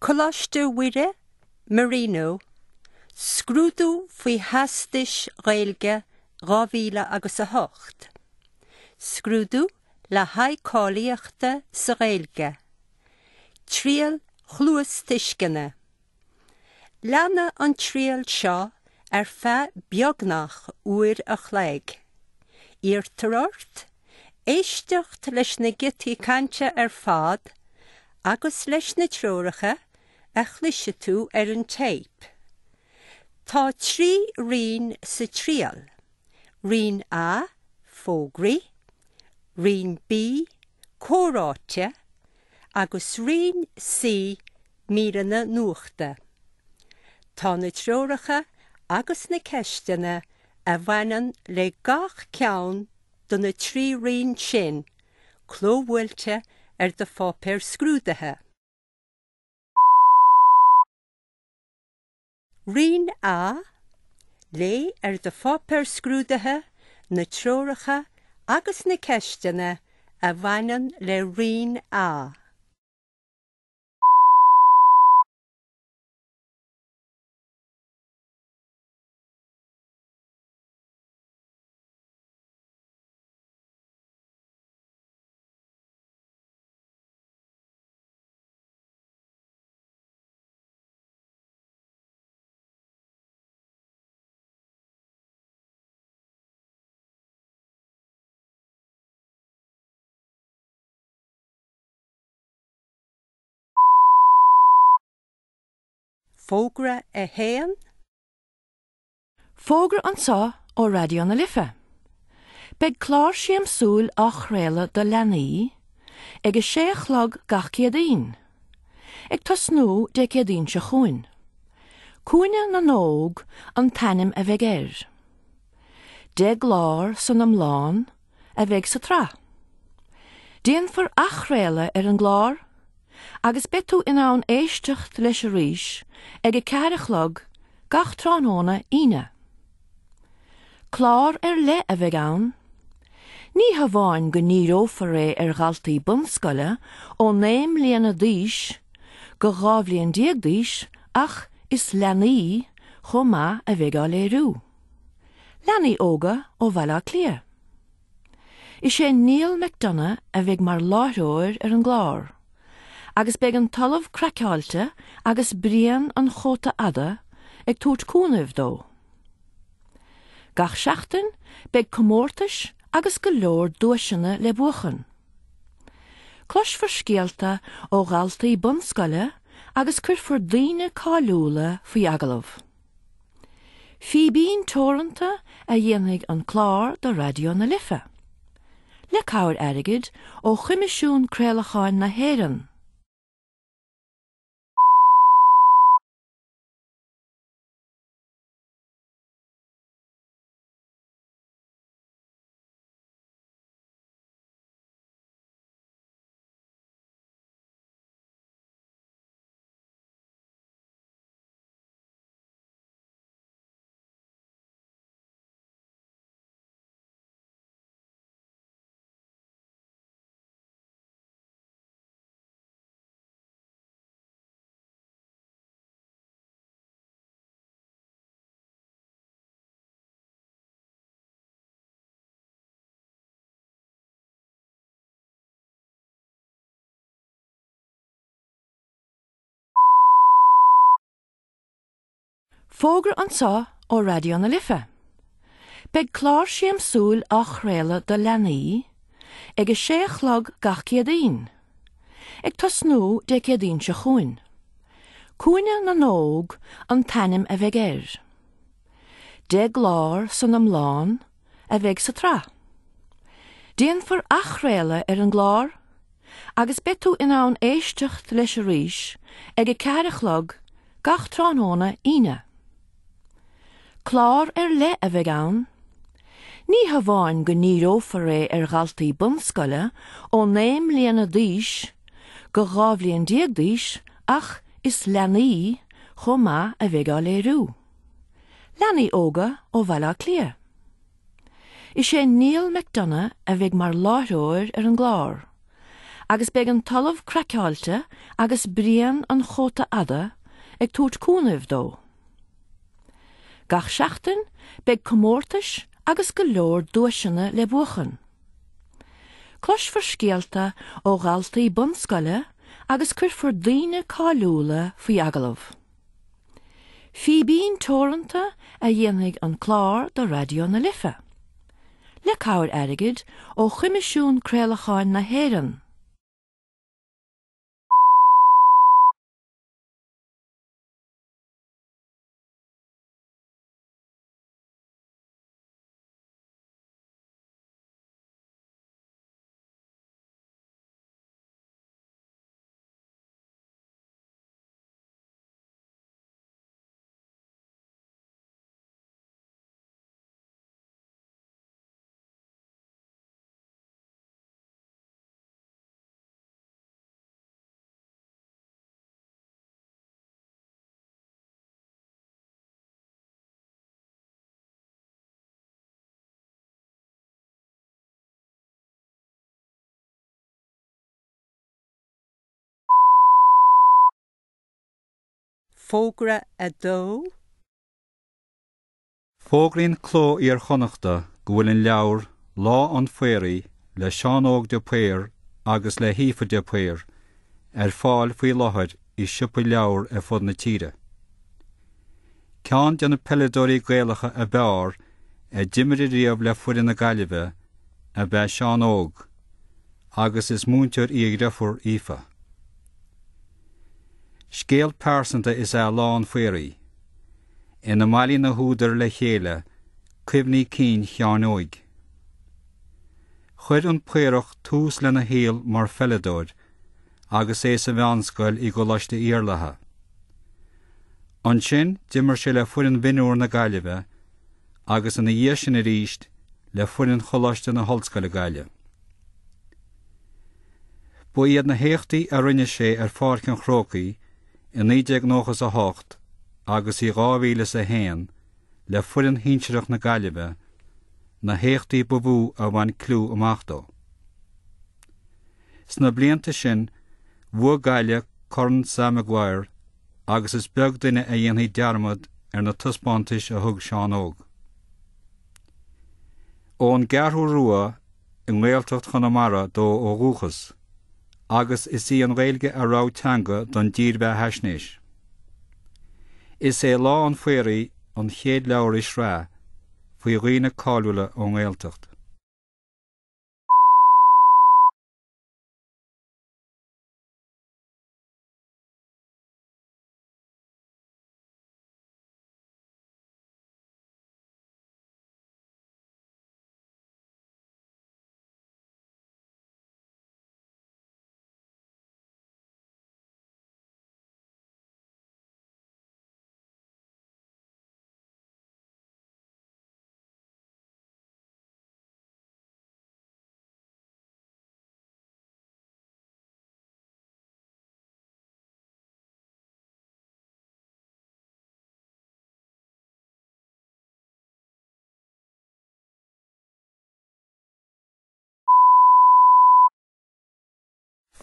Coláiste Mhuire, Marino, Scrúdú faoi Theastais Ghaeilge 2000 agus 8. Scrúdú le haghaidh cáilíochta sa Ghaeilge. Triail chluastuisceana. Leanfaidh an triail seo ar feadh beagnach uair a chloig. Iarrtar ort éisteacht leis na giotaí cainte ar fad agus leis na treoracha a chloisfidh tú ar an téip. Tá 3 roinn sa triail, Roinn A, Fógraí, Roinn B, Comhráite, agus Roinn C, Míreanna Nuachta. Tá na treoracha agus na ceisteanna a bhaineann le gach ceann de na 3 roinn sin clóbhuailte ar do pháipéar scrúdaithe. Roinn A, Léigh ar do pháipéar scrúdaithe na treoracha agus na ceisteanna a bhaineann le Roinn A. Fógra 1. Fógra anseo ó Raidió na Life. Beidh clár siamsúil á chraoladh do leanaí ag a sé a chlog gach Céadaoin, ag tosnú Dé Céadaoin seo chugainn. Cúinne na nÓg an t-ainm a bheidh air. 10 gclár san iomlán a bheidh sa tsraith. Déanfar athchraoladh ar an gclár agus beidh tú in ann éisteacht leis arís ag a ceathair a chlog gach tráthnóna Aoine. Clár ar leith a bheidh ann. Ní hamháin go ndíreofar é ar dhaltaí bunscoile ó 9 mbliana d'aois go 12 bhliain d'aois ach is leanaí chomh maith a bheidh á léiriú. Leanaí óga ó Bhaile Átha Cliath. Is é Niall McDonagh a bheidh mar láithreoir ar an gclár, agus beidh an tOllamh Craiceáilte agus Brian an Chóta Fhada ag tabhairt cúnaimh dó. Gach seachtain beidh comórtais agus go leor duaiseanna le buachan. Cloisfear scéalta ó dhaltaí bunscoile agus cuirfear daoine cáiliúla faoi agallamh. Fíbín Teoranta a dhéanfaidh an clár do Raidió na Life, le cabhair airgid ó Choimisiún Craolacháin na hÉireann. Fógra anseo ó Raidió na Life. Beidh clár siamsúil á chraoladh do leanaí ag a sé a chlog gach Céadaoin, ag tosnú Dé Céadaoin seo chugainn. Cúinne na nÓg an t-ainm a bheidh air. 10 gclár san iomlán a bheidh sa tsraith. Déanfar athchraoladh ar an gclár agus beidh tú in ann éisteacht leis arís ag a ceathair a chlog gach tráthnóna Aoine. Clár ar leith a bheidh ann. Ní hamháin go ndíreofar é ar dhaltaí bunscoile ó 9 mbliana d'aois go 12 bhliain d'aois ach is leanaí chomh maith a bheidh á léiriú. Leanaí óga ó Bhaile Átha Cliath. Is é Niall McDonagh a bheidh mar láithreoir ar an gclár, Agus beidh an tOllamh Craiceáilte agus Brian an Chóta Fhada ag tabhairt cúnaimh dó. Gach seachtain beidh comórtais agus go leor duaiseanna le buachan. Cloisfear scéalta ó dhaltaí bunscoile agus cuirfear daoine cáiliúla faoi agallamh. Fíbín Teoranta a dhéanfaidh an clár do Raidió na Life, le cabhair airgid ó Choimisiún Craolacháin na hÉireann. Fógra 2. Fógraíonn Cló Iar-Chonnachta go bhfuil an leabhar Lá an Phaoraigh le Seán Óg de Paor agus le hAoife de Paor ar fáil faoi láthair i siopaí leabhar ar fud na tíre. Ceann de na peileadóirí Gaelacha ab fhearr a d'imir riamh le foireann na Gaillimhe ab ea Seán Óg agus is múinteoir í a dheirfiúr Aoife. Scéal pearsanta is ea Lá an Phaoraigh, ina mbailíonn na húdair le chéile cuimhní cinn Sheáin Óig. Chuir an Paorach tús lena shaol mar pheileadóir agus é sa mheánscoil i gColáiste Iarlatha. Ansin d'imir sé le foireann mhionúr na Gaillimhe agus ina dhiaidh sin arís le foireann Choláiste na hOllscoile Gaillimh. Ba iad na héachtaí a rinne sé ar Pháirc an Chrócaigh i 1998 agus i 2001 le foireann shinsearach na Gaillimhe na héachtaí ba mhó a bhain clú amach dó. Sna blianta sin, bhuaigh Gaillimh Corn Sam Maguire agus is beag duine a dhéanfaidh dearmad ar na taispeántais a thug Seán Óg. Ón gCeathrú Rua i nGaeltacht Chonamara dó ó dhúchas agus is í an Ghaeilge a rogha teanga don dírbheathaisnéis. Is é Lá an Phaoraigh an chéad leabhar i sraith faoi dhaoine cáiliúla ón nGaeltacht.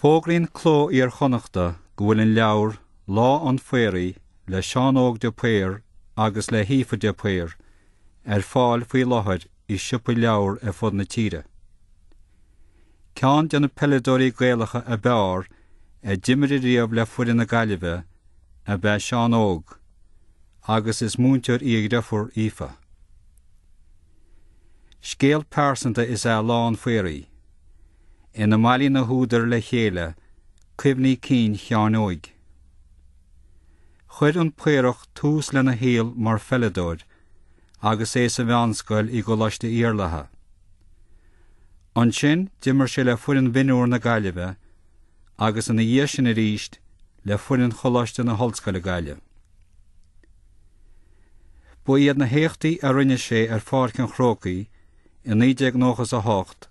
Fógraíonn Cló Iar-Chonnachta go bhfuil an leabhar Lá an Phaoraigh le Seán Óg de Paor agus le hAoife de Paor ar fáil faoi láthair i siopaí leabhar ar fud na tíre. Ceann de na peileadóirí Gaelacha ab fhearr a d'imir riamh le foireann na Gaillimhe ab ea Seán Óg agus is múinteoir í a dheirfiúr Aoife. Scéal pearsanta is ea Lá an Phaoraigh, ina mbailíonn na húdair le chéile cuimhní cinn Sheáin Óig. Chuir an Paorach tús lena shaol mar pheileadóir agus é sa mheánscoil i gColáiste Iarlatha. Ansin d'imir sé le foireann mhionúr na Gaillimhe agus ina dhiaidh sin arís le foireann Choláiste na hOllscoile Gaillimh. Ba iad na héachtaí a rinne sé ar Pháirc an Chrócaigh i 1998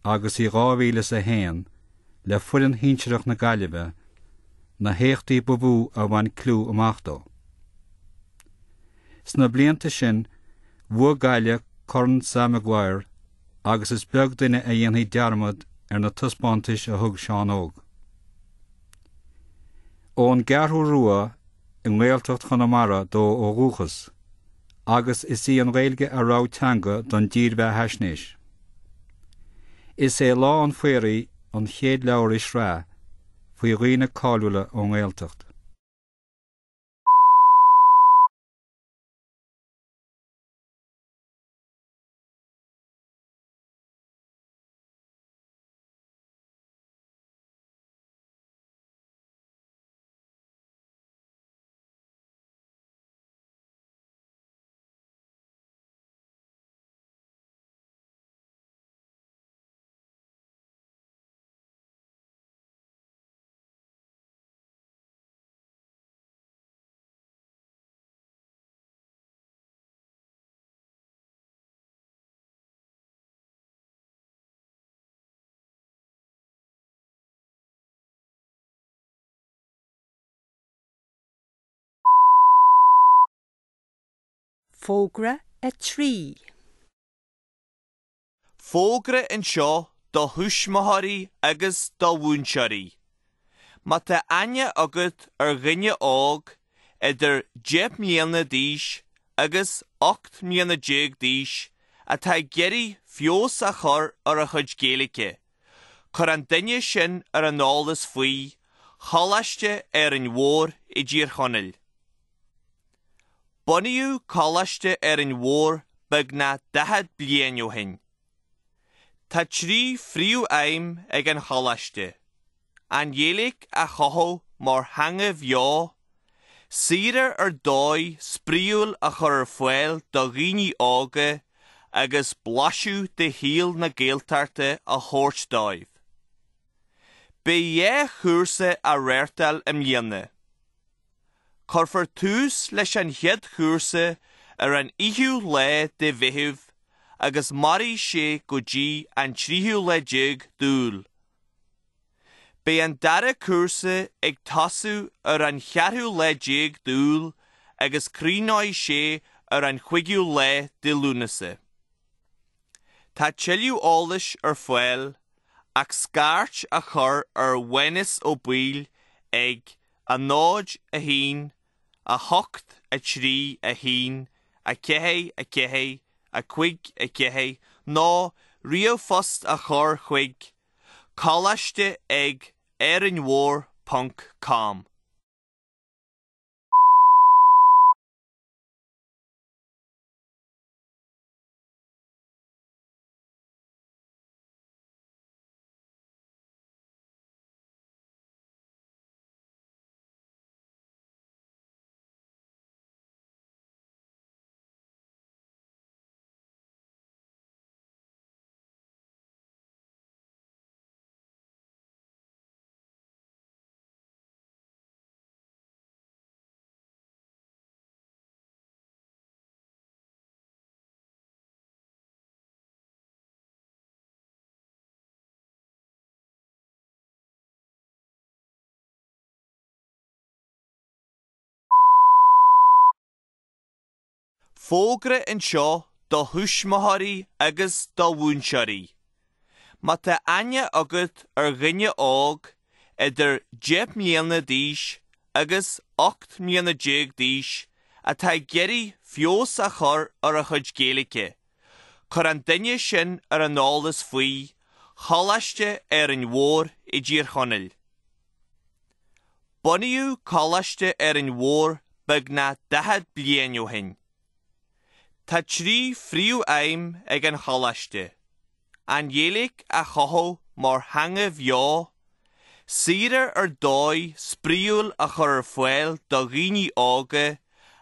agus i 2001 le foireann shinsearach na Gaillimhe na héachtaí ba mhó a bhain clú amach dó. Sna blianta sin, bhuaigh Gaillimh Corn Sam Maguire agus is beag duine a dhéanfaidh dearmad ar na taispeántais a thug Seán Óg. Ón gCeathrú Rua i nGaeltacht Chonamara dó ó dhúchas, agus is í an Ghaeilge a rogha teanga don dírbheathaisnéis. Is é Lá an Phaoraigh an chéad leabhar i sraith faoi dhaoine cáiliúla ón nGaeltacht. Fógra 3. Fógra anseo do thuismitheoirí agus do mhúinteoirí. Má tá aithne agat ar dhuine óg idir 10 mbliana d'aois agus 18 mbliana d'aois atá ag iarraidh feabhas a chur ar a chuid Gaeilge, cuir an duine sin ar an eolas faoi Choláiste Árainn Mhór i dTír Chonaill. Bunaíodh Coláiste Árainn Mhór beagnach 40 bliain ó shin. Tá trí phríomh-aidhm ag an Choláiste, an Ghaeilge a chothú mar theanga bheo, saoire ar dóigh spraíúil a chur ar fáil do dhaoine óga agus blaiseadh de shaol na Gaeltachta a thabhairt dóibh. Beidh dhá chúrsa á reáchtáil i mbliana. Cuirfear tús leis an chéad chúrsa ar an fhichiú lá de Mheitheamh agus mairfidh sé go dtí an tríú lá déag d'Iúil. Beidh an dara cúrsa ag tosú ar an cheathrú lá déag d'Iúil agus críochnóidh sé ar an chúigiú lá de Lúnasa. Tá tuilleadh eolais ar fáil ach scairt a chur ar Mhánas Ó Baoill ag 0, 1, 8, 3, 1, 4, 4, 5, 4 nó ríomhphost a chur chuig coláiste ag árainn-mhór ponc com. Fógra anseo do thuismitheoirí agus do mhúinteoirí. Má tá aithne agat ar dhuine óg idir 10 mbliana d'aois agus 18 mbliana d'aois atá ag iarraidh feabhas a chur ar a chuid Gaeilge, Cuir an duine sin ar an eolas faoi Choláiste Árainn Mhór i dTír Chonaill. Bunaíodh Coláiste Árainn Mhór beagnach 40 bliain ó shin. Tá trí phríomh-aidhm ag an Choláiste, an Ghaeilge a chothú mar theanga bheo, saoire ar dóigh spraíúil a chur ar fáil do dhaoine óga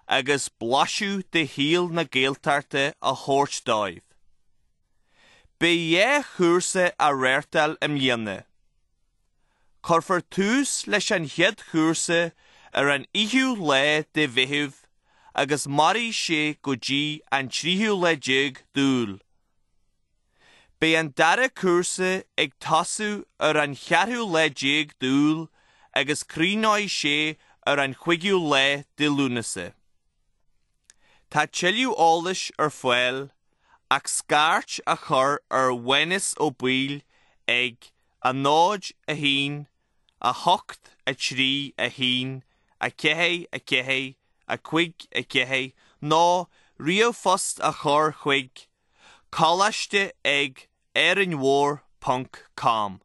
agus blaiseadh de shaol na Gaeltachta a thabhairt dóibh. Beidh dhá chúrsa á reáchtáil i mbliana. Cuirfear tús leis an chéad chúrsa ar an fhichiú lá de Mheitheamh agus mairfidh sé go dtí an tríú lá déag d'Iúil. Beidh an dara cúrsa ag tosú ar an cheathrú lá déag d'Iúil agus críochnóidh sé ar an chúigiú lá de Lúnasa. Tá tuilleadh eolais ar fáil ach scairt a chur ar Mhánas Ó Baoill ag 0, 0 1 8 3 1 4 4 5 4 nó ríomhphost a chur chuig coláiste ag Árainn Mhór ponc com.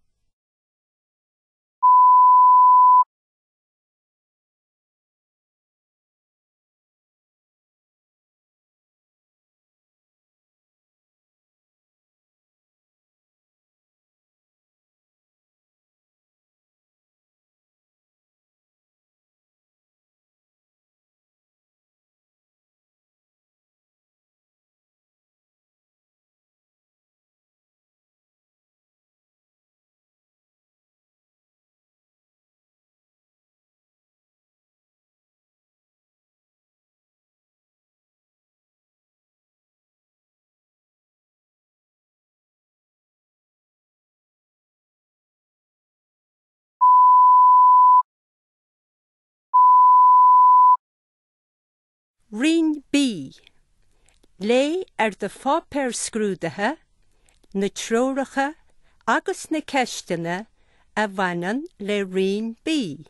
Roinn B. Léigh ar do pháipéar scrúdaithe na treoracha agus na ceisteanna a bhaineann le Roinn B.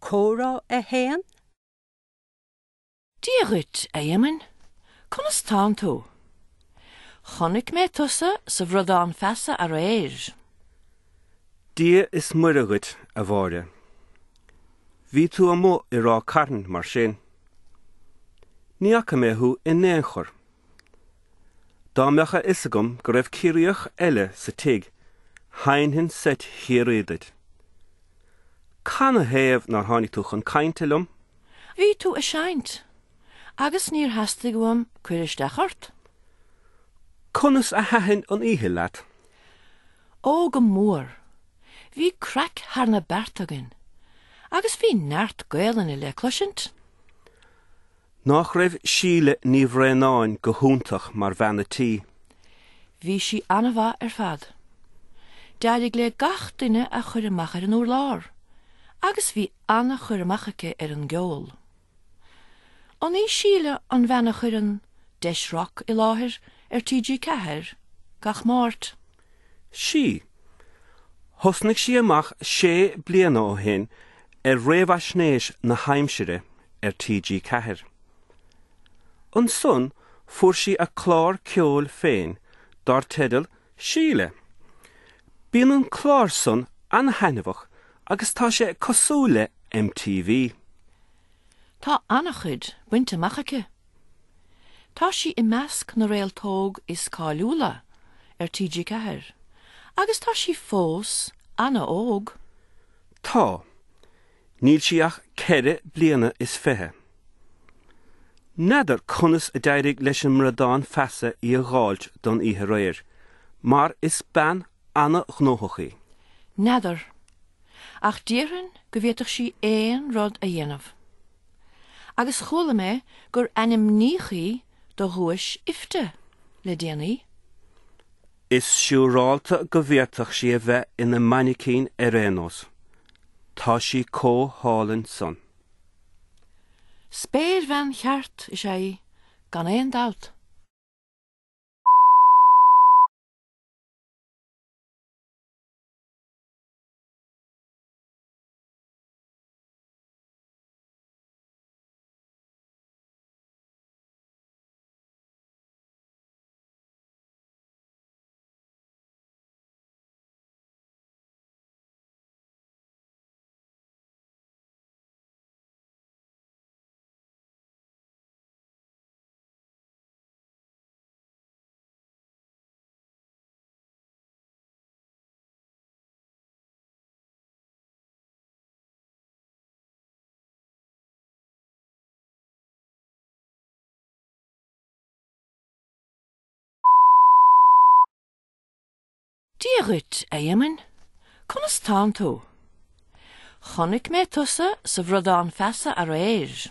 Comhrá 1. Dia dhuit, a Éamoinn. Conas tánn tú? Chonaic mé tusa sa Bhradán Feasa aréir. Dia is Muire dhuit, a Mháire. Bhí tú amuigh i Ráth Cairn, mar sin. Ní fhaca mé thú in aon chor. Dá mbeadh a fhios agam go raibh Ciarraíoch eile sa tigh, sheinnfinn seit Chiarraí duit. Canathaobh nár tháinig tú chun cainte liom? Bhí tú ag seinnt, agus níor theastaigh uaim cur isteach ort. Conas a thaitin an oíche leat? Ó, go mór. Bhí craic thar na bearta againn, agus bhí neart Gaelainne le cloisint. Nach raibh Síle Ní Bhraonáin go hiontach mar bhean a' tí? Bhí sí an-mhaith ar fad. D'éirigh léi gach duine a chur amach ar an urlár agus bhí an-chur amach aici ar an gceol. An í Síle an bhean a chuireann Deis Rock i láthair ar TG4 gach Máirt? Sí. Thosnaigh sí amach sé bliana ó shin ar réamhaisnéis na haimsire ar TG4. Ansan fuair sí a clár ceoil féin dar teideal Síle. Bíonn an clár san ana-thaitneamhach agus tá sé cosúil le MTV. Tá an-chuid bainte amach aici. Tá sí i measc na réalt óg is cáiliúla ar TG4 agus tá sí fós ana-óg. Tá. Níl sí ach ceithre bliana is fiche. N'fheadar conas a d'éirigh leis an mBradán Feasa í a dh'fháilt don oíche aréir, mar is bean ana-ghnóthach í. N'fheadar. Ach déarfainn go bhféadfadh sí aon rud a dhéanamh. Agus chuala mé gur ainmníodh í do dhuais IFTA le déanaí. Is siúrálta go bhféadfadh sí a bheith ina mainicín ar aon nós. Tá sí comh hálainn san. Spéirbhean cheart is ea í, gan aon dabht. Dia dhuit, a Éamoinn. Conas tánn tú? Chonaic mé tusa sa Bhradán Feasa aréir.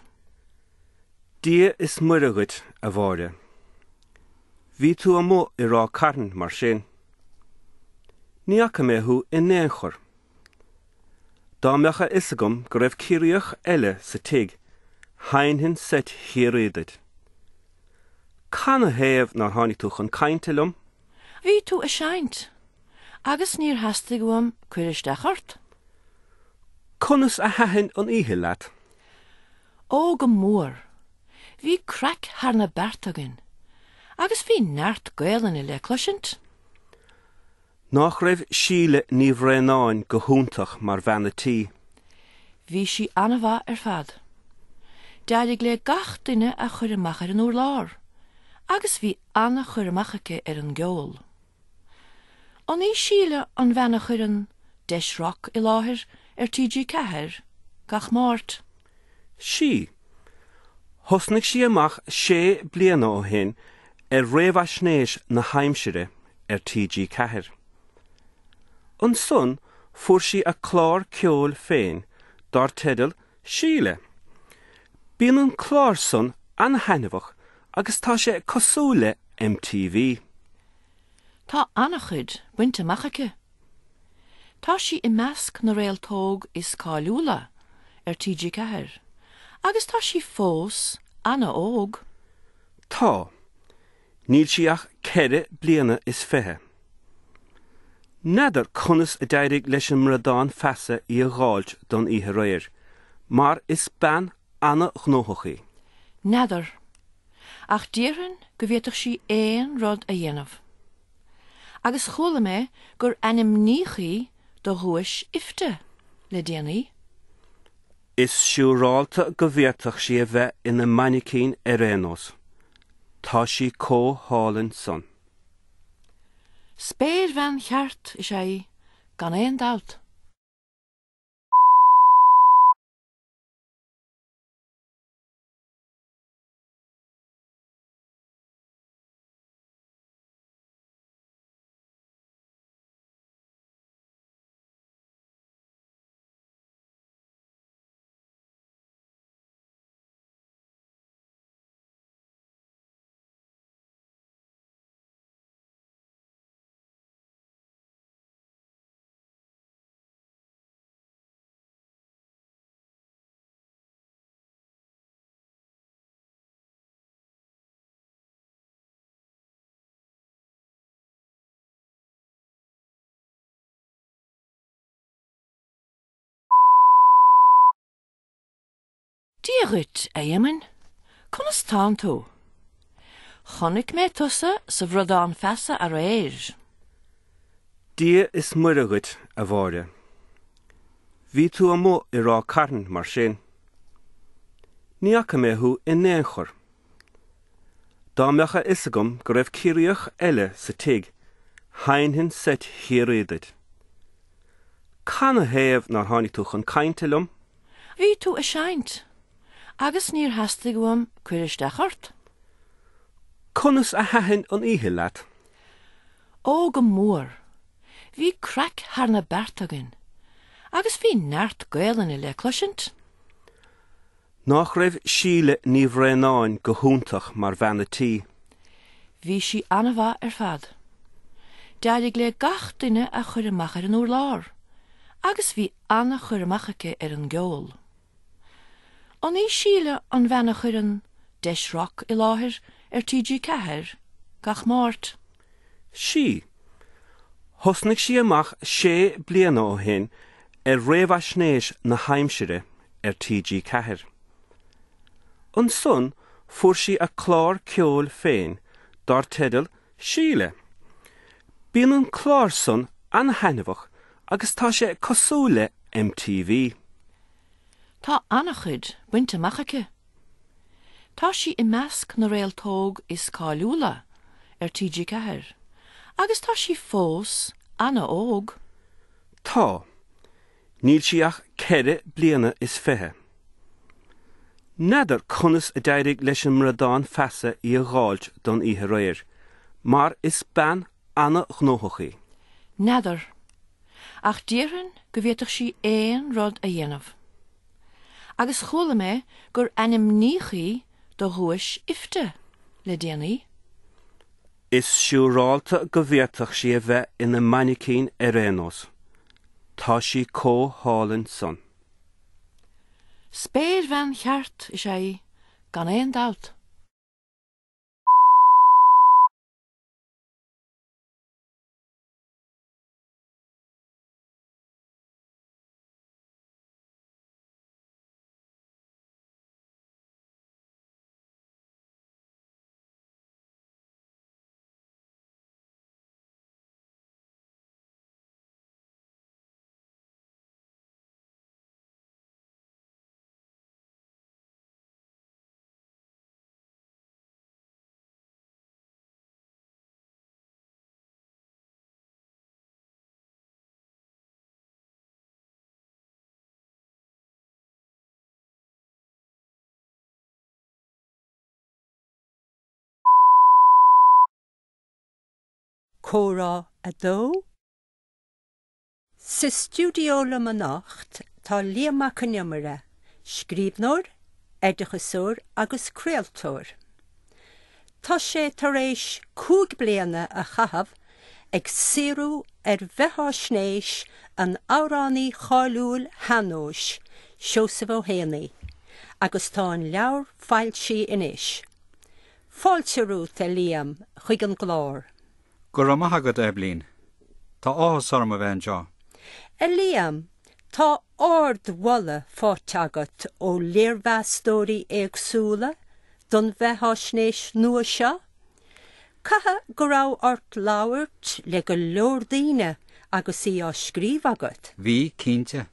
Dia is Muire dhuit, a Mháire. Bhí tú amuigh i Ráth Cairn, mar sin. Ní fhaca mé thú in aon chor. Dá mbeadh a fhios agam go raibh Ciarraíoch eile sa tigh, sheinnfinn seit Chiarraí duit. Canathaobh nár tháinig tú chun cainte liom? Bhí tú ag seinnt, agus níor theastaigh uaim cur isteach ort. Conas a thaitin an oíche leat? Ó, go mór. Bhí craic thar na bearta againn, agus bhí neart Gaelainne le cloisint. Nach raibh Síle Ní Bhraonáin go hiontach mar bhean a' tí? Bhí sí an-mhaith ar fad. D'éirigh le gach duine a chur amach ar an urlár, agus bhí an-chur amach aici ar an gceol. An í Síle an bhean a chuireann Deis Rock i láthair ar TG4 gach Máirt? 'Sí. Thosnaigh sí amach sé bliana ó shin ar réamhaisnéis na haimsire ar TG4. Ansan fuair sí a clár ceoil féin dar teideal Síle. Bíonn an clár san an-thaitneamhach agus tá sé cosúil le MTV. Tá an-chuid bainte amach aici. Tá sí i measc na réalt óg is cáiliúla ar TG4 agus tá sí fós an-óg. Tá. Níl sí ach ceithre bliana is fiche. N'fheadar conas a d'éirigh leis an mBradán Feasa í a dh'fháilt don oíche aréir, mar is bean ana-ghnóthach í. N'fheadar. Ach déarfainn go bhféadfadh sí aon rud a dhéanamh. Agus chuala mé gur ainmníodh í do dhuais IFTA le déanaí. Is siúrálta go bhféadfadh sí a bheith ina mainicín ar aon nós. Tá sí comh hálainn san. Spéirbhean cheart is ea í, gan aon dabht. Dia dhuit, a Éamoinn. Conas tánn tú? Chonaic mé tusa sa Bhradán Feasa aréir. Dia is Muire dhuit, a Mháire. Bhí tú amuigh i Ráth Cairn, mar sin. Ní fhaca mé thú in aon chor. Dá mbeadh a fhios agam go raibh Ciarraíoch eile sa tigh, sheinnfinn seit Chiarraí duit. Canathaobh nár tháinig tú chun cainte liom? Bhí tú ag seinnt, agus níor theastaigh uaim cur isteach ort. Conas a thaitin an oíche leat? Ó, go mór. Bhí craic thar na bearta againn, agus bhí neart Gaelainne le cloisint. Nach raibh Síle Ní Bhraonáin go hiontach mar bhean a' tí? Bhí sí an-mhaith ar fad. D'éirigh le gach duine a chur amach ar an urlár, agus bhí an-chur amach aici ar an gceol. An í Síle an bhean a chuireann Deis Rock i láthair ar TG4 gach Máirt? 'Sí. Thosnaigh sí amach sé bliana ó shin ar réamhaisnéis na haimsire ar TG4. Ansan fuair sí a clár ceoil féin dar teideal Síle. Bíonn an clár san an-thaitneamhach agus tá sé cosúil le MTV. Tá an-chuid bainte amach aici. Tá sí i measc na réalt óg is cáiliúla ar TG4 agus tá sí fós an-óg. Tá. Níl sí ach ceithre bliana is fiche. N'fheadar conas a d'éirigh leis an mBradán Feasa í a dh'fháilt don oíche aréir, mar is bean ana-ghnóthach í. N'fheadar. Ach déarfainn go bhféadfadh sí aon rud a dhéanamh. Agus chuala mé gur ainmníodh í do dhuais IFTA le déanaí. Is siúrálta go bhféadfadh sí a bheith ina mainicín ar aon nós. Tá sí chomh hálainn san. Spéirbhean cheart is ea í, gan aon dabht. Comhrá 2. Sa stiúideo liom anocht tá Liam Mac Con Iomaire, scríbhneoir, oideachasóir agus craoltóir. Tá sé tar éis 5 bliana a chaitheamh ag saothrú ar bheatháisnéis an amhránaí cháiliúil shean-nóis, Seosamh Ó hÉanaí, agus tá an leabhar foilsithe anois. Fáilte romhat, a Liam, chuig an gclár. Go raibh maith agat, a Eibhlín. Tá áthas orm a bheith anseo. A Liam, tá ardmholadh faighte agat ó léirmheastóirí éagsúla don bheatháisnéis nua seo. Caithfidh go raibh ort labhairt le go leor daoine agus í á scríobh agat? Bhí, cinnte.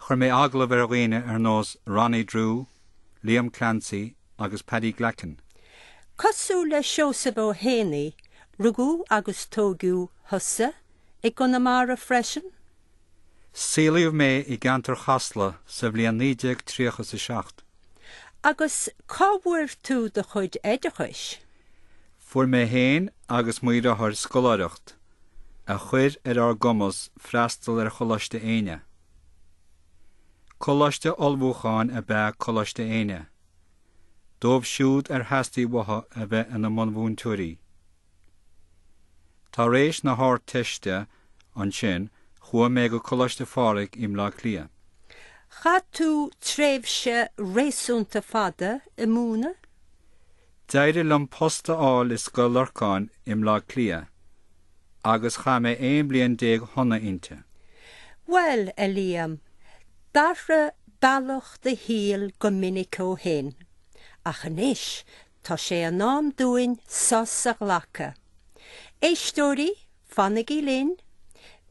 Chuir mé agallamh ar dhaoine ar nós Ronnie Drew, Liam Clancy agus Paddy Glackin. Cosúil le Seosamh Ó hÉanaí, rugadh agus tógadh thusa i gConamara freisin? Saolaíodh mé i gceantar Chasla sa bhliain 1937. Agus cá bhfuair tú do chuid oideachais? Fuair mé féin agus mo dheartháir scoláireacht, a chuir ar ár gcumas freastal ar Choláiste Éinne. Coláiste ullmhúcháin ab ea Coláiste Éinne, dóibh siúd ar theastaigh uathu a bheith ina mbunmhúinteoirí. Tar éis na hArdteiste ansin chuaigh mé go Coláiste Phádraig i mBleá Cliath. Chaith tú tréimhse réasúnta fada ag múineadh? D'éirigh liom post a fháil i Scoil Lorcáin i mBleá Cliath agus chaith mé 11 bliain shona inti. Bhuel, a Liam, d'athraigh bealach do shaoil go minic ó shin, ach anois tá sé in am dúinn sos a ghlacadh. Éisteoirí, fanaigí linn,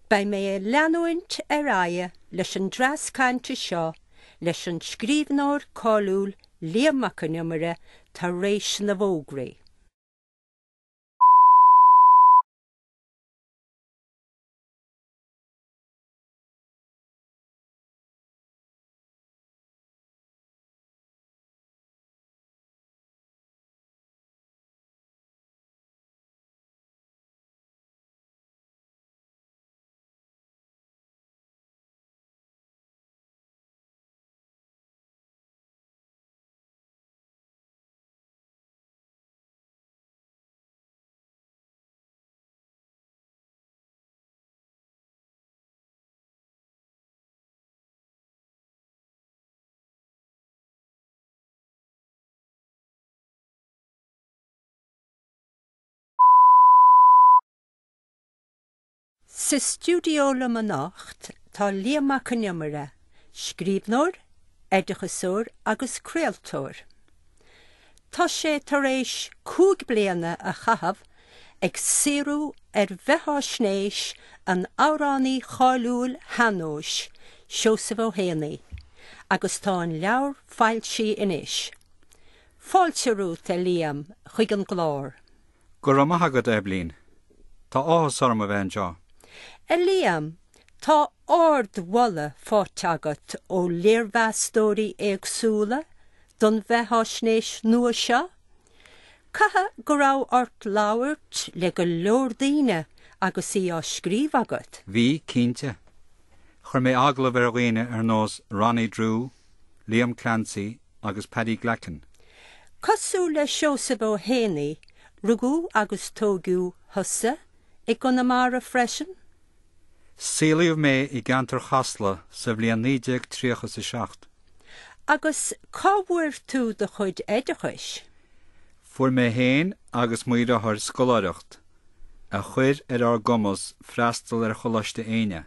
beidh mé ag leanúint ar aghaidh leis an dreas cainte seo leis an scríbhneoir cáiliúil Liam Mac Con Iomaire tar éis na bhfógraí. Sa stiúideo liom anocht tá Liam Mac Con Iomaire, scríbhneoir, oideachasóir agus craoltóir. Tá sé tar éis 5 bliana a chaitheamh ag saothrú ar bheatháisnéis an amhránaí cháiliúil shean-nóis, Seosamh Ó hÉanaí, agus tá an leabhar foilsithe anois. Fáilte romhat, a Liam, chuig an gclár. Go raibh maith agat, a Eibhlín. Tá áthas orm a bheith anseo. A Liam, tá ardmholadh faighte agat ó léirmheastóirí éagsúla don bheatháisnéis nua seo. Caithfidh go raibh ort labhairt le go leor daoine agus í á scríobh agat? Bhí, cinnte. Chuir mé agallamh ar dhaoine ar nós Ronnie Drew, Liam Clancy agus Paddy Glackin. Cosúil le Seosamh Ó hÉanaí, rugadh agus tógadh thusa i gConamara freisin? Saolaíodh mé i gceantar Chasla sa bhliain 1937. Agus cá bhfuair tú do chuid oideachais? Fuair mé féin agus mo dheartháir scoláireacht, a chuir ar ár gcumas freastal ar Choláiste Éinne.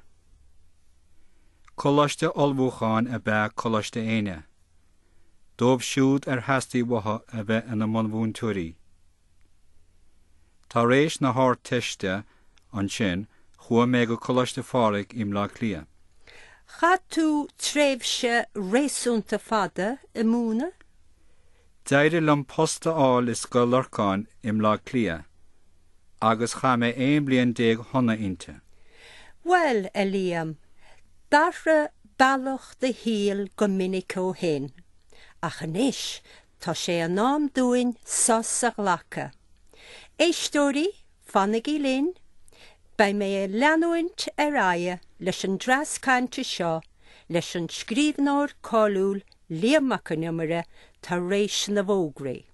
Coláiste ullmhúcháin ab ea Coláiste Éinne, dóibh siúd ar theastaigh uathu a bheith ina mbunmhúinteoirí. Tar éis na hArdteiste ansin chuaigh mé go Coláiste Phádraig i mBleá Cliath. Chaith tú tréimhse réasúnta fada ag múineadh? D'éirigh liom post a fháil i Scoil Lorcáin i mBleá Cliath agus chaith mé 11 bliain shona inti. Bhuel, a Liam, d'athraigh bealach do shaoil go minic ó shin, ach anois tá sé in am dúinn sos a ghlacadh. Éisteoirí, fanaigí linn, beidh mé ag leanúint ar aghaidh leis an dreas cainte seo leis an scríbhneoir cáiliúil Liam Mac Con Iomaire tar éis na bhfógraí.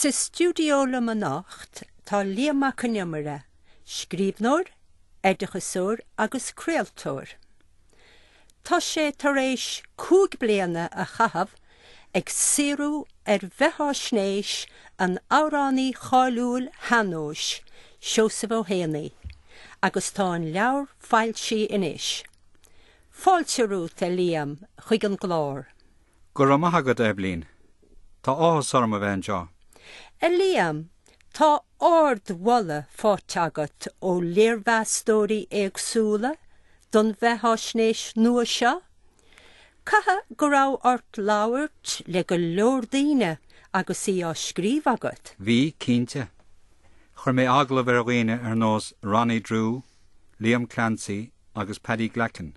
Sa stiúideo liom anocht tá Liam Mac Con Iomaire, scríbhneoir, oideachasóir agus craoltóir. Tá sé tar éis 5 bliana a chaitheamh ag saothrú ar bheatháisnéis an amhránaí cháiliúil shean-nóis, Seosamh Ó hÉanaí, agus tá an leabhar foilsithe anois. Fáilte romhat, a Liam, chuig an gclár. Go raibh maith agat, a Eibhlín. Tá áthas orm a bheith anseo. A Liam, tá ardmholadh faighte agat ó léirmheastóirí éagsúla don bheatháisnéis nua seo. Caithfidh go raibh ort labhairt le go leor daoine agus í á scríobh agat? Bhí, cinnte. Chuir mé agallamh ar dhaoine ar nós Ronnie Drew, Liam Clancy agus Paddy Glackin.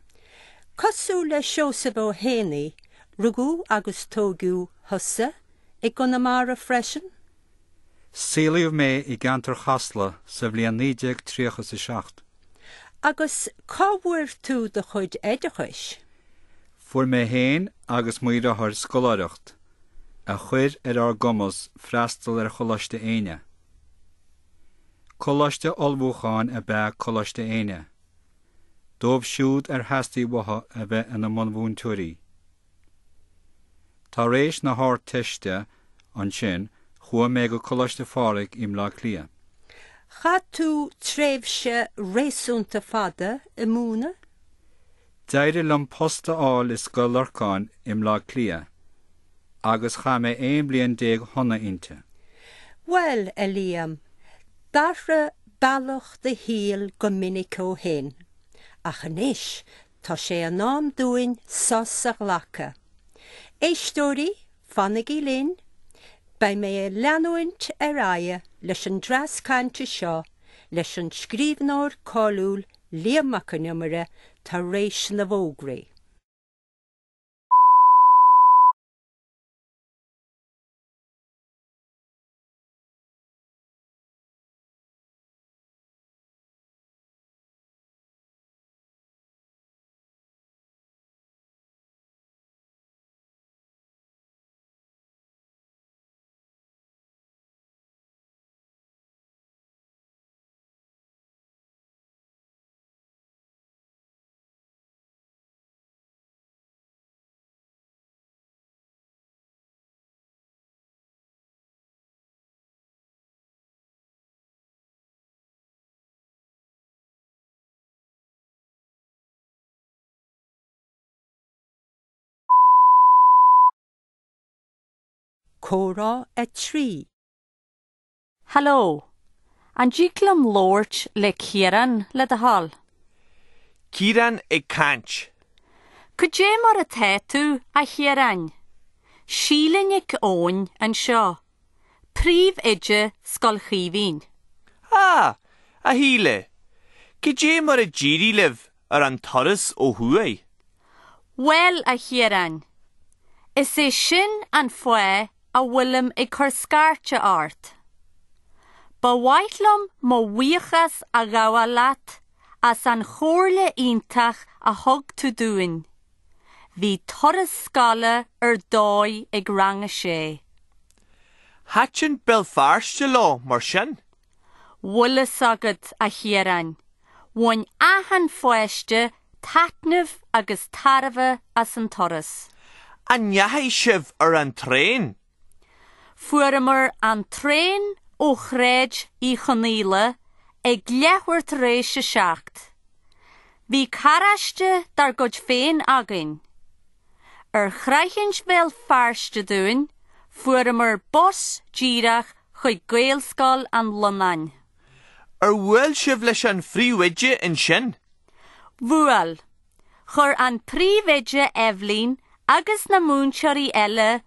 Cosúil le Seosamh Ó hÉanaí, rugadh agus tógadh thusa i gConamara freisin? Saolaíodh mé i gceantar Chasla sa bhliain 1937. Agus cá bhfuair tú do chuid oideachais? Fuair mé féin agus mo dheartháir scoláireacht, a chuir ar ár gcumas freastal ar Choláiste Éinne. Coláiste ullmhúcháin ab ea Coláiste Éinne, dóibh siúd ar theastaigh uathu a bheith ina mbunmhúinteoirí. Tar éis na hArdteiste ansin chuaigh mé go Coláiste Phádraig i mBleá Cliath. Chaith tú tréimhse réasúnta fada ag múineadh? D'éirigh liom post a fháil i Scoil Lorcáin i mBleá Cliath agus chaith mé 11 bliain shona inti. Bhuel, a Liam, d'athraigh bealach do shaoil go minic ó shin, ach anois tá sé in am dúinn sos a ghlacadh. Éisteoirí, fanaigí linn, beidh mé ag leanúint ar aghaidh leis an dreas cainte seo leis an scríbhneoir cáiliúil Liam Mac Con Iomaire tar éis na bhfógraí. Comhrá 3. Hello. An dtig liom labhairt le Ciarán le do thoil? Ciarán ag caint. Cad é mar atá tú, a Chiaráin? Síle Nic Eoin anseo, Príomhoide Scoil Chaoimhín. Ah, a Shíle! Cad é mar a d'éirigh libh ar an turas ó thuaidh? Bhuel, a Chiaráin, is é sin an fáth a bhfuilim ag cur scairte ort. Ba mhaith liom mo bhuíochas a ghabháil leat as an chomhairle iontach a thug tú dúinn. Bhí turas scoile ar dóigh ag rang a sé. Thaitin Béal Feirste leo mar sin? Bhfuil fhios agat, a Chiaráin, bhain achan pháiste taitneamh agus tairbhe as an turas. An ndeachaigh sibh ar an traein? Fuaireamar an traein ó Shráid Uí Chonaola ag leathuair tar éis a 7. Bhí carráiste dár gcuid féin againn. Ar shroichint Bhéal Feirste dúinn, fuaireamar bus díreach chuig Gaelscoil an Lonnáin. Ar bhuail sibh leis an phríomhoide ansin? Bhuail. Chuir an príomhoide Eibhlín agus na múinteoirí eile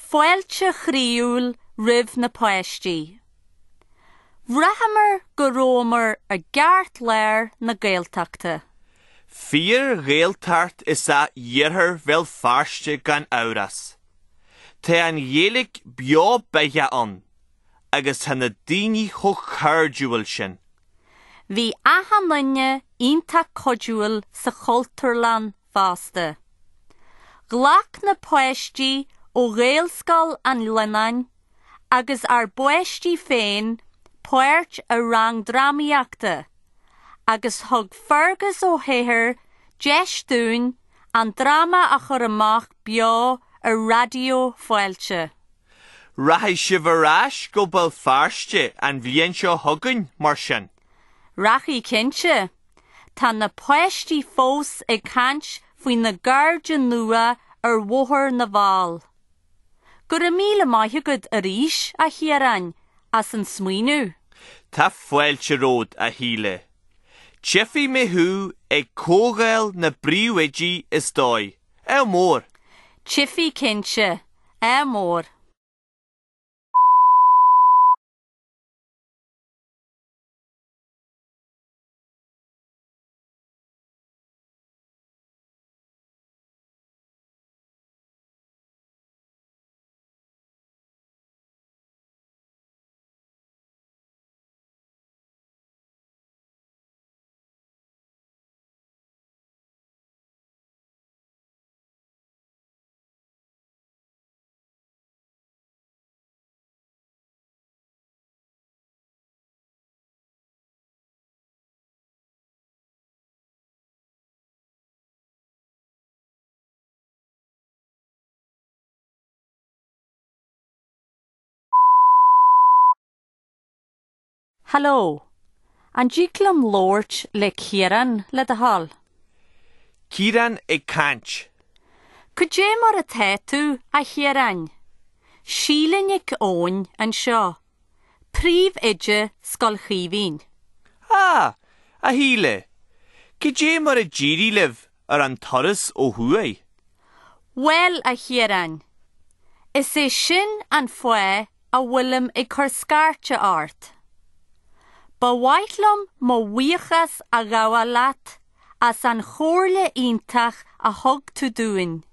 fáilte chroíúil roimh na páistí. Bhraitheamar go rabhamar i gceartlár na Gaeltachta. Fíor-Ghaeltacht is ea iarthar Bhéal Feirste gan amhras. Tá an Ghaeilge beo beathach ann agus tá na daoine chomh cairdiúil sin. Bhí achan duine iontach cuidiúil sa Chultúrlann fosta. Ghlac na páistí ó Ghaelscoil an Lonnáin agus ár bpáistí féin páirt i rang drámaíochta agus thug Fergus Ó hEithir deis dúinn an dráma a chur amach beo ar Raidió Fáilte. Rachaidh sibh ar ais go Béal Feirste an bhliain seo chugainn, mar sin? Rachaidh cinnte. Tá na páistí fós ag caint faoina gcairde nua ar Bhóthar na bhFál. Go raibh míle maith agat arís, a Chiaráin, as an smaoineamh. Tá fáilte romhat, a Shíle. Tchífidh mé thú ag Comhdháil na bPríomhoidí is dóigh. Ádh mór! Tchífidh cinnte. Ádh mór. Hello. An dtig liom labhairt le Ciarán le do thoil? Ciarán ag caint. Cad é mar atá tú, a Chiaráin? Síle Nic Eoin anseo, Príomhoide Scoil Chaoimhín. Ah, a Shíle! Cad é mar a d'éirigh libh ar an turas ó thuaidh? Bhuel, a Chiaráin, is é sin an fáth a bhfuilim ag cur scairte ort. Ba mhaith liom mo bhuíochas a ghabháil leat as an chomhairle iontach a thug tú dúinn.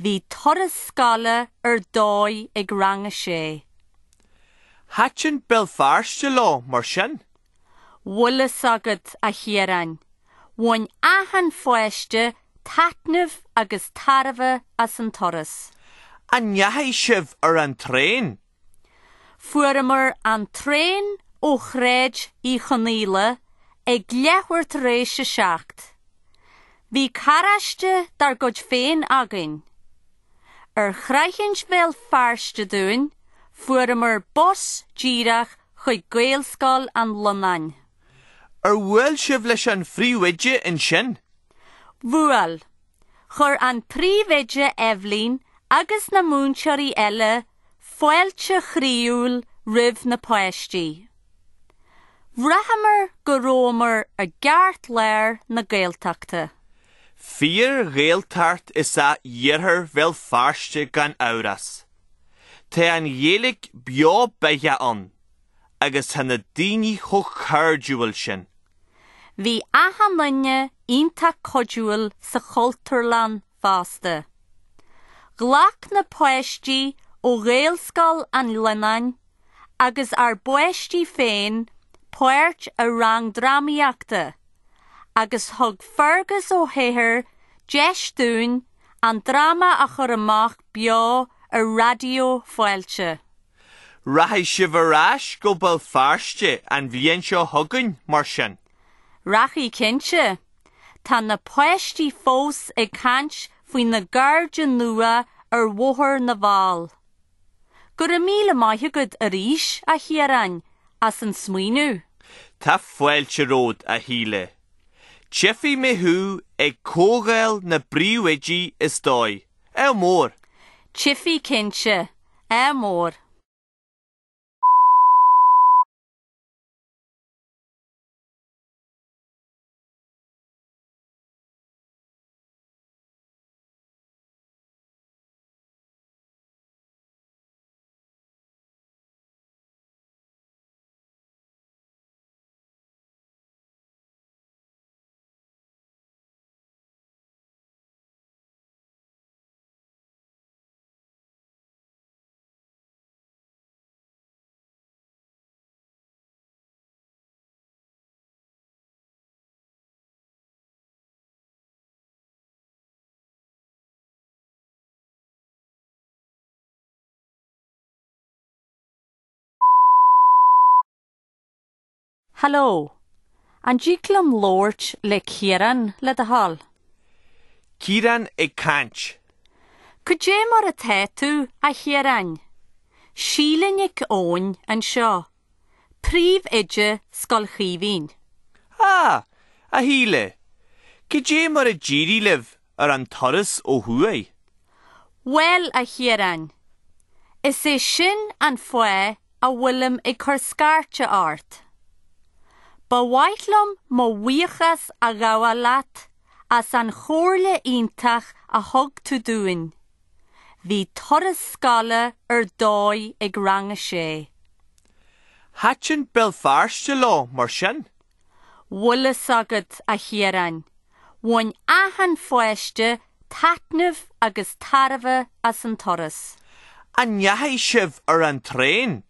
Bhí turas scoile ar dóigh ag rang a sé. Thaitin Béal Feirste leo mar sin? Bhfuil fhios agat, a Chiaráin, bhain achan pháiste taitneamh agus tairbhe as an turas. An ndeachaigh sibh ar an traein? Fuaireamar an traein ó Shráid Uí Chonaola ag leathuair tar éis a 7. Bhí carráiste dár gcuid féin againn. Ar shroichint Bhéal Feirste dúinn, fuaireamar bus díreach chuig Gaelscoil an Lonnáin. Ar bhuail sibh leis an phríomhoide ansin? Bhuail. Chuir an príomhoide Eibhlín agus na múinteoirí eile fáilte chroíúil roimh na páistí. Bhraitheamar go rabhamar i gceartlár na Gaeltachta. Fíor-Ghaeltacht is ea iarthar Bhéal Feirste gan amhras. Tá an Ghaeilge beo beatha ann agus tá na daoine chomh cairdiúil sin. Bhí achan duine iontach cuidiúil sa Chultúrlann fosta. Ghlac na páistí ó Ghaelscoil an Ghleannáin agus ár bpáistí féin páirt i rang drámaíochta agus thug Fergus Ó hEithir deis dúinn an dráma a chur amach beo ar Raidió Fáilte. Rachaidh sibh ar ais go Béal Feirste an bhliain seo chugainn, mar sin? Rachaidh cinnte. Tá na páistí fós ag caint faoina gcairde nua ar Bhóthar na bhFál. Go raibh míle maith agat arís, a Chiaráin, as an smaoineamh. Tá fáilte romhat, a Shíle. Tchífidh mé thú ag Comhdháil na bPríomhoidí is dóigh. Ádh mór! Tchífidh cinnte. Ádh mór. Hello. An dtig liom labhairt le Ciarán le do thoil? Ciarán ag caint. Cad é mar atá tú, a Chiaráin? Síle Nic Eoin anseo, Príomhoide Scoil Chaoimhín. Ah, a Shíle! Cad é mar a d'éirigh libh ar an turas ó thuaidh? Bhuel, a Chiaráin, is é sin an fáth a bhfuilim ag cur scairte ort. Ba mhaith liom mo bhuíochas a ghabháil leat as an chomhairle iontach a thug tú dúinn. Bhí turas scoile ar dóigh ag Rang a Sé. Thaitin Béal Feirste leo, mar sin? Bhfuil fhios agat, a Chiaráin, bhain achan pháiste taitneamh agus tairbhe as an turas. An ndeachaigh sibh ar an traein?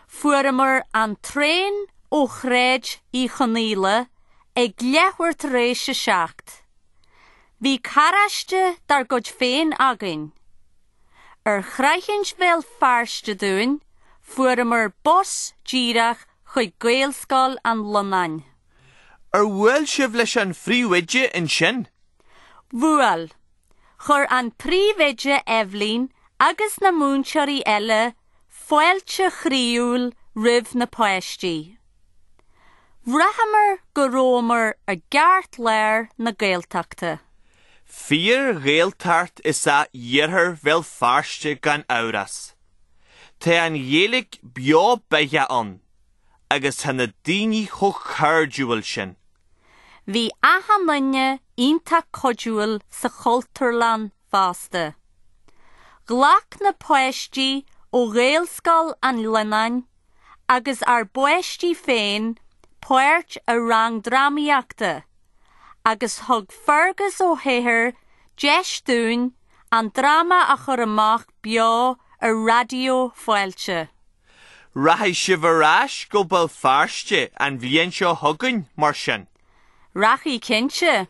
Fuaireamar an traein ó Shráid Uí Chonaola ag leathuair tar éis a 7. Bhí carráiste dár gcuid féin againn. Ar shroichint Bhéal Feirste dúinn, fuaireamar bus díreach chuig Gaelscoil an Lonnáin. Ar bhuail sibh leis an phríomhoide ansin? Bhuail. Chuir an príomhoide Eibhlín agus na múinteoirí eile fáilte chroíúil roimh na páistí. Bhraitheamar go rabhamar i gceartlár na Gaeltachta. Fíor-Ghaeltacht is ea iarthar Bhéal Feirste gan amhras. Tá an Ghaeilge beo beatha ann agus tá na daoine chomh cairdiúil sin. Bhí achan duine iontach cuidiúil sa Chultúrlann fosta. Ghlac na páistí ó Ghaelscoil an Ghleannáin agus ár bpáistí féin páirt i rang drámaíochta agus thug Fergus Ó hEithir deis dúinn an dráma a chur amach beo ar Raidió Fáilte. Rachaidh sibh ar ais go Béal Feirste an bhliain seo chugainn, mar sin? Rachaidh cinnte.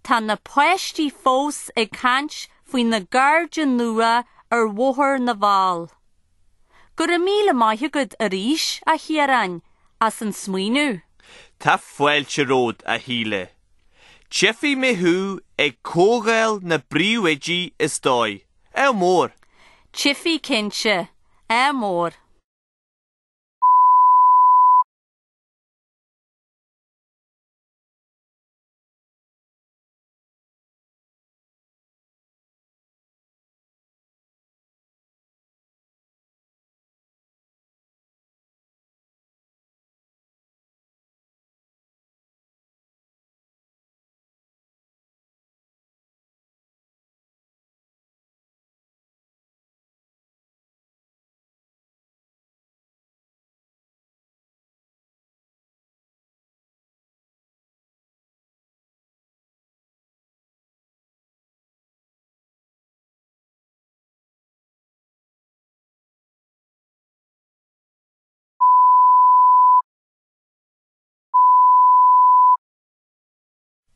Tá na páistí fós ag caint faoina gcairde nua ar Bhóthar na bhFál. Go raibh míle maith agat arís, a Chiaráin, as an smaoineamh. Tá fáilte romhat, a Shíle. Tchífidh mé thú ag Comhdháil na bPríomhoidí is dóigh. Ádh mór! Tchífidh cinnte. Ádh mór!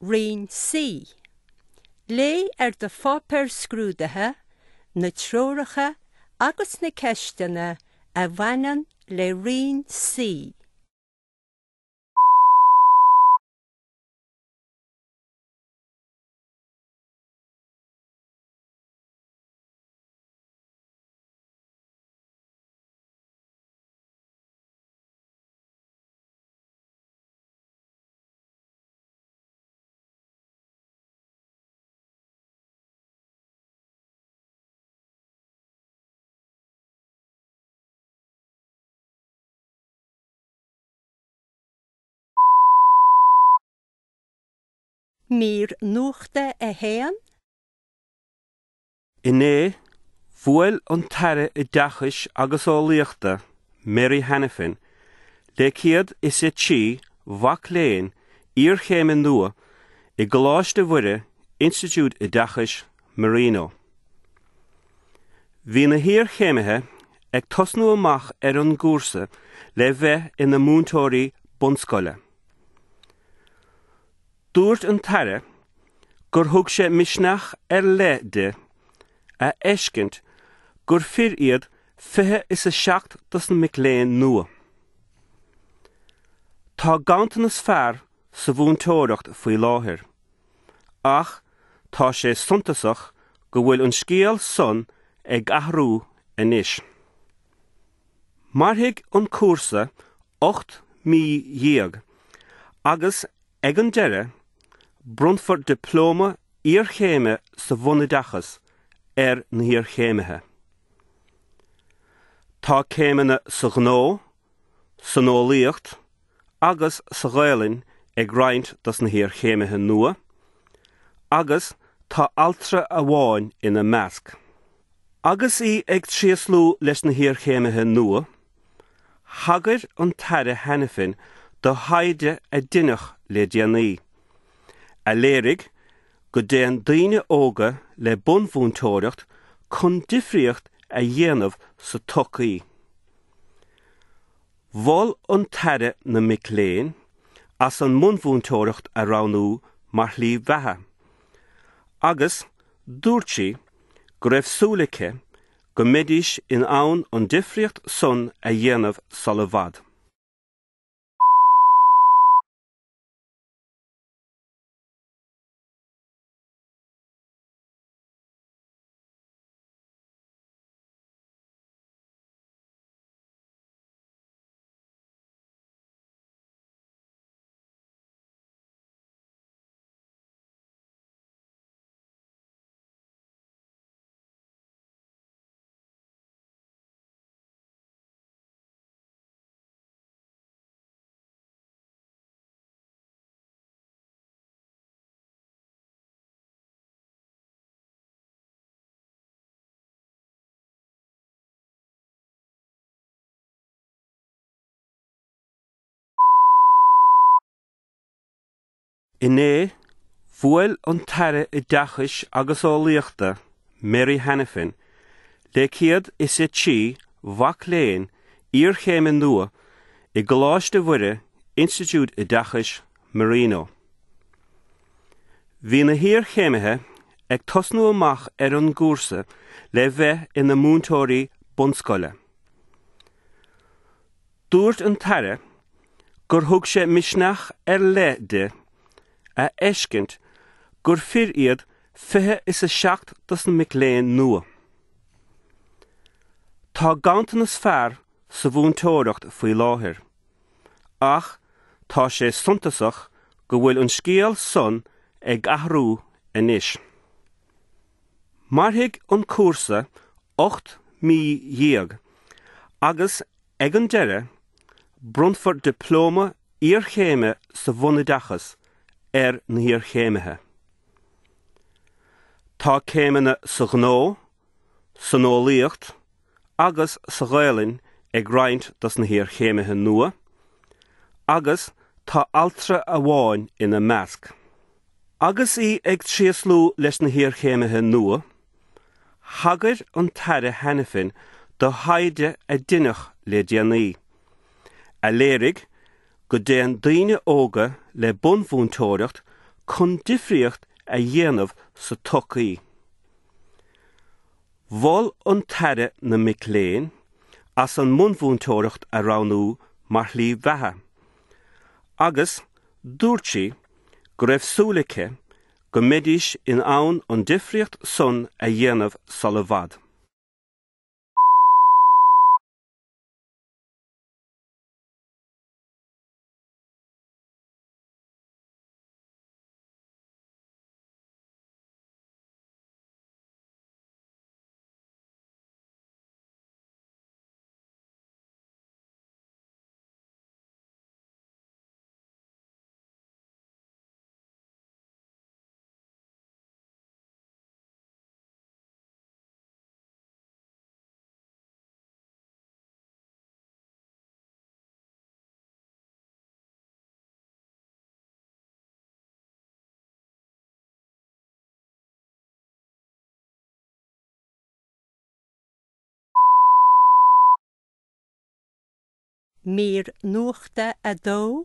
Roinn C. Léigh ar do pháipéar scrúdaithe na treoracha agus na ceisteanna a bhaineann le Roinn C. Mír Nuachta 1. Inné, bhuail an tAire Oideachais agus Eolaíochta, Mary Hanafin, le 103 mhac léinn iarchéime nua i gColáiste Mhuire, Institiúid Oideachais Marino. Bhí na hiarchéimithe ag tosnú amach ar an gcúrsa le bheith ina múinteoirí bunscoile. Dúirt an tAire gur thug sé misneach ar leith di a fheiscint gur fir iad 27 dos na mic léinn nua. Tá ganntanas fear sa mhúinteoireacht faoi láthair, ach tá sé suntasach go bhfuil an scéal san ag athrú anois. Mairfidh an cúrsa 18 mí agus ag an deireadh bronnfar dioplóma iarchéime sa bhunoideachas ar na hiarchéimithe. Tá céimeanna sa ghnó, san eolaíocht agus sa Ghaelainn ag roinnt dos na hiarchéimithe nua agus tá altra amháin ina measc. Agus í ag tréaslú leis na hiarchéimithe nua, thagair an tAire Hanafin do thaighde a deineadh le déanaí, a léirigh go dtéann daoine óga le bunmhúinteoireacht chun difríocht a dhéanamh sa tsochaí. Mhol an tAire na mic léinn as an mbunmhúinteoireacht a roghnú mar shlí bheatha agus dúirt sí go raibh súil aici go mbeidís in ann an difríocht san a dhéanamh sula bhfad. Inné, bhuail an tAire Oideachais agus Eolaíochta, Mary Hanafin, le 103 mhac léinn iarchéime nua i gColáiste Mhuire, Institiúid Oideachais Marino. Bhí na hiarchéimithe ag tosnú amach ar an gcúrsa le bheith ina múinteoirí bunscoile. Dúirt an tAire gur thug sé misneach ar leith di a fheiscint gur fir iad 27 dos na mic léinn nua. Tá ganntanas fear sa mhúinteoireacht faoi láthair, ach tá sé suntasach go bhfuil an scéal san ag athrú anois. Mairfidh an cúrsa 18 mí agus ag an deireadh bronnfar dioplóma iarchéime sa bhunoideachas ar na hiarchéimithe. Tá céimeanna sa ghnó, san eolaíocht agus sa Ghaelainn ag roinnt dos na hiarchéimithe nua agus tá altra amháin ina measc. Agus í ag tréaslú leis na hiarchéimithe nua, thagair an tAire Hanafin do thaighde a deineadh le déanaí, a léirigh go dtéann daoine óga le bunmhúinteoireacht chun difríocht a dhéanamh sa tsochaí. Mhol an tAire na mic léinn as an mbunmhúinteoireacht a roghnú mar shlí bheatha agus dúirt sí go raibh súil aici go mbeidís in ann an difríocht san a dhéanamh sula bhfad. Mír Nuachta 2.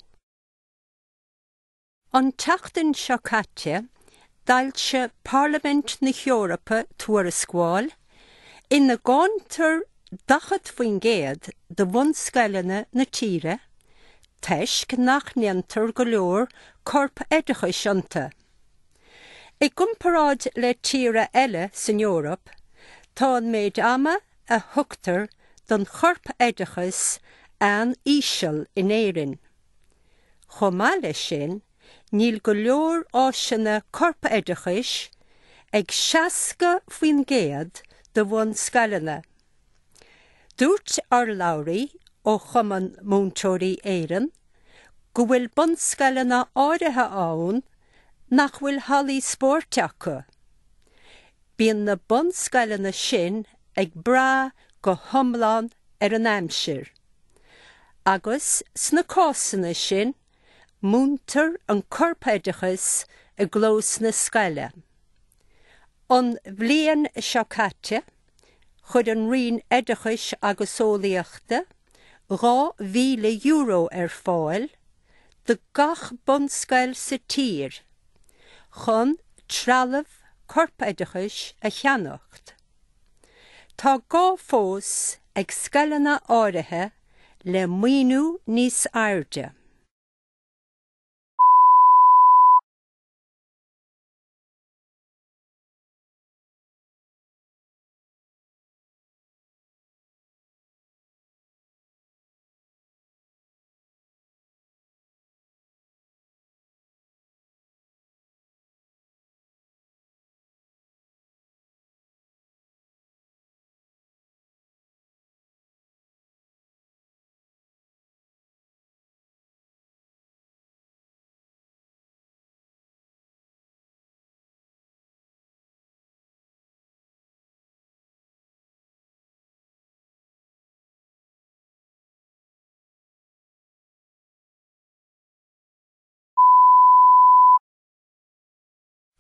An tseachtain seo caite, d'fhoilsigh Parlaimint na hEorpa tuarascáil ina gcáintear 40% de bhunscoileanna na tíre toisc nach ndéantar go leor corpoideachais iontu. I gcomparáid le tíortha eile san Eoraip, tá an méid ama a thugtar don chorpoideachas an-íseal in Éirinn. Chomh maith leis sin, níl go leor áiseanna corpoideachais ag 60% de bhunscoileanna. Dúirt urlabhraí ó Chumann Múinteoirí Éireann go bhfuil bunscoileanna áirithe ann nach bhfuil hallaí spóirt acu. Bíonn na bunscoileanna sin ag brath go hiomlán ar an aimsir. Agus sna cásanna sin, múintear an corpoideachas i gclós na scoile. An bhliain seo caite, chuir an Roinn Oideachais agus Eolaíochta €2,000 ar fáil do gach bunscoil sa tír chun trealamh corpoideachais a cheannacht. Tá gá fós ag scoileanna áirithe le maoiniú níos airde.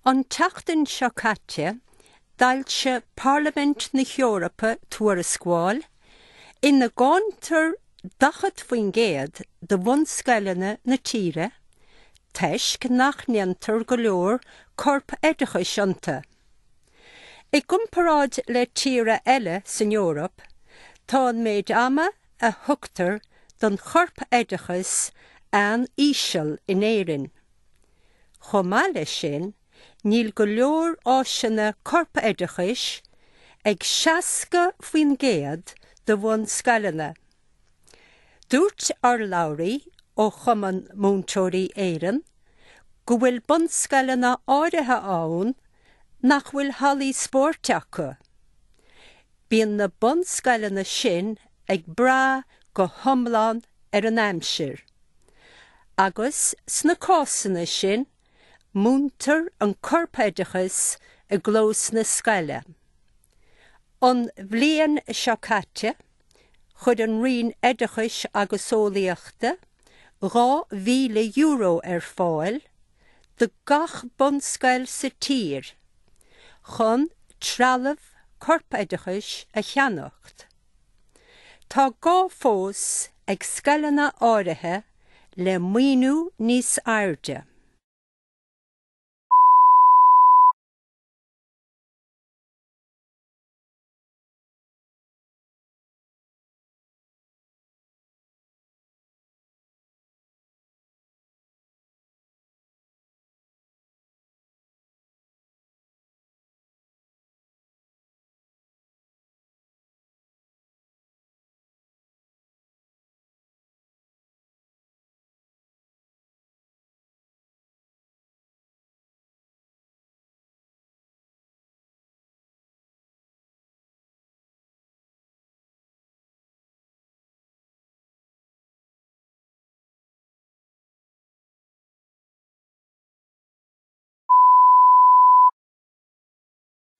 An tseachtain seo caite, d'fhoilsigh Parlaimint na hEorpa tuarascáil ina gcáintear 40% de bhunscoileanna na tíre toisc nach ndéantar go leor corpoideachais iontu. I gcomparáid le tíortha eile san Eoraip, tá an méid ama a thugtar don chorpoideachas an-íseal in Éirinn. Chomh maith leis sin, níl go leor áiseanna corpoideachais ag 60% de bhunscoileanna. Dúirt urlabhraí ó Chumann Múinteoirí Éireann go bhfuil bunscoileanna áirithe ann nach bhfuil hallaí spóirt acu. Bíonn na bunscoileanna sin ag brath go hiomlán ar an aimsir. Agus sna cásanna sin, múintear an corpoideachas i gclós na scoile. An bhliain seo caite, chuir an Roinn Oideachais agus Eolaíochta €2,000 ar fáil do gach bunscoil sa tír chun trealamh corpoideachais a cheannacht. Tá gá fós ag scoileanna áirithe le maoiniú níos airde.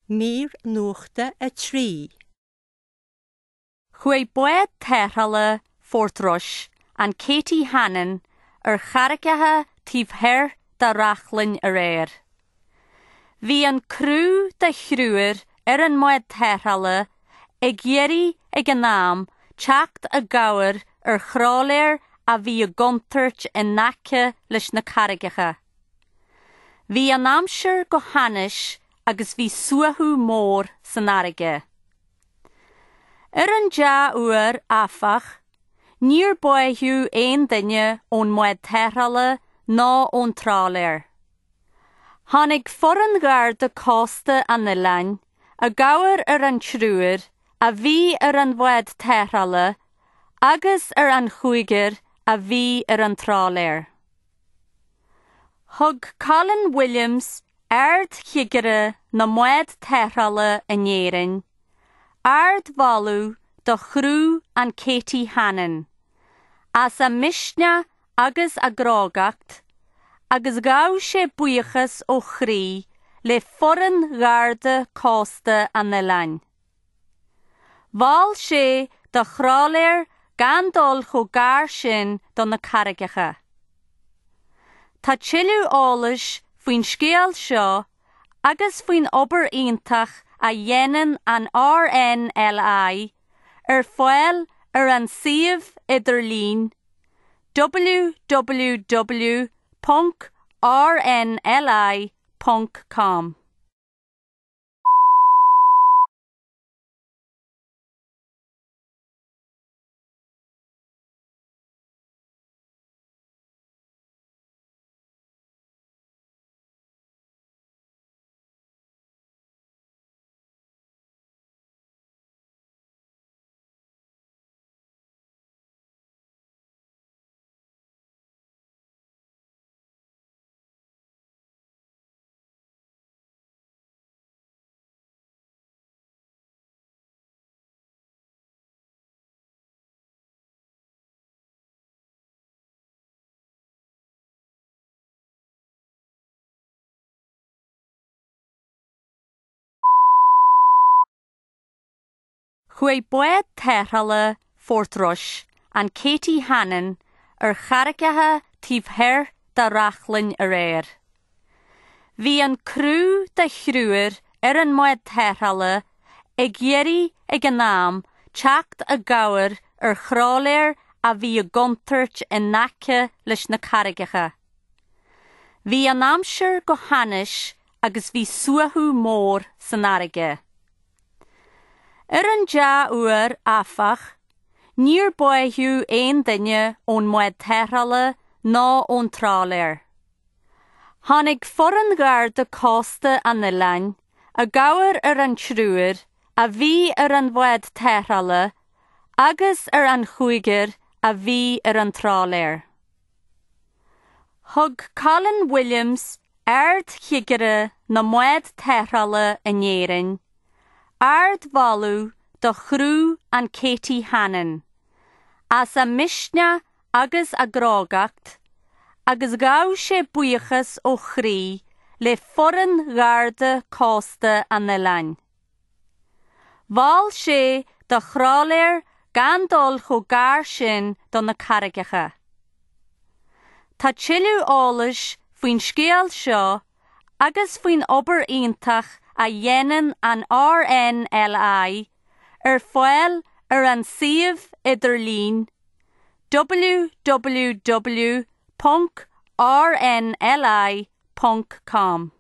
Mír Nuachta 3. Chuaigh bád tarrthála Phort Rois, an Katie Hannon, ar charraigeacha taobh thoir de Reachlainn aréir. Bhí an criú de thriúr ar an mbád tarrthála ag iarraidh ag an am teacht i gcabhair ar thrálaer a bhí i gcontúirt in aice leis na carraigeacha. Bhí an aimsir go hainnis agus bhí suaitheadh mór san fharraige. Ar an dea-uair, áfach, níor báitheadh aon duine ón mbád tarrthála ná ón trálaer. Tháinig foireann Gharda Cósta an oileáin i gcabhair ar an triúr a bhí ar an bhád tarrthála agus ar an chúigear a bhí ar an trálaer. Thug Colin Williams, Ard-Chigire na mbád tarrthála in Éirinn, ardmholadh do chriú an Katie Hannon as a misneach agus a gcrógacht agus ghabh sé buíochas ó chroí le foireann Gharda Cósta an oileáin. Mhol sé do thrálaeir gan dul chomh gar sin do na carraigeacha. Tá tuilleadh eolais faoin scéal seo agus faoin obair iontach a dhéanann an RNLI ar fáil ar an suíomh idirlín www.rnli.com. Chuaigh bád tarrthála Phort Rois, an Katie Hannon, ar charraigeacha taobh thoir de Reachlainn aréir. Bhí an criú de thriúr ar an mbád tarrthála ag iarraidh ag an am teacht i gcabhair ar thrálaer a bhí i gcontúirt in aice leis na carraigeacha. Bhí an aimsir go hainnis agus bhí suaitheadh mór san fharraige. Ar an dea-uair, áfach, níor báitheadh aon duine ón mbád tarrthála ná ón trálaer. Tháinig foireann Gharda Cósta an oileáin i gcabhair ar an triúr a bhí ar an bhád tarrthála agus ar an chúigear a bhí ar an trálaer. Thug Colin Williams, Ard-Chigire na mbád tarrthála in Éirinn, ardmholadh do chriú an Katie Hannon as a misneach agus a gcrógacht agus ghabh sé buíochas ó chroí le foireann Gharda Cósta an oileáin. Mhol sé do thrálaeir gan dul chomh gar sin do na carraigeacha. Tá tuilleadh eolais faoin scéal seo agus faoin obair iontach a dhéanann an RNLI ar fáil ar an suíomh idirlín www.rnli.com.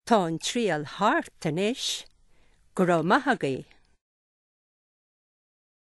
Tá an triail thart anois, go raibh maith agaibh.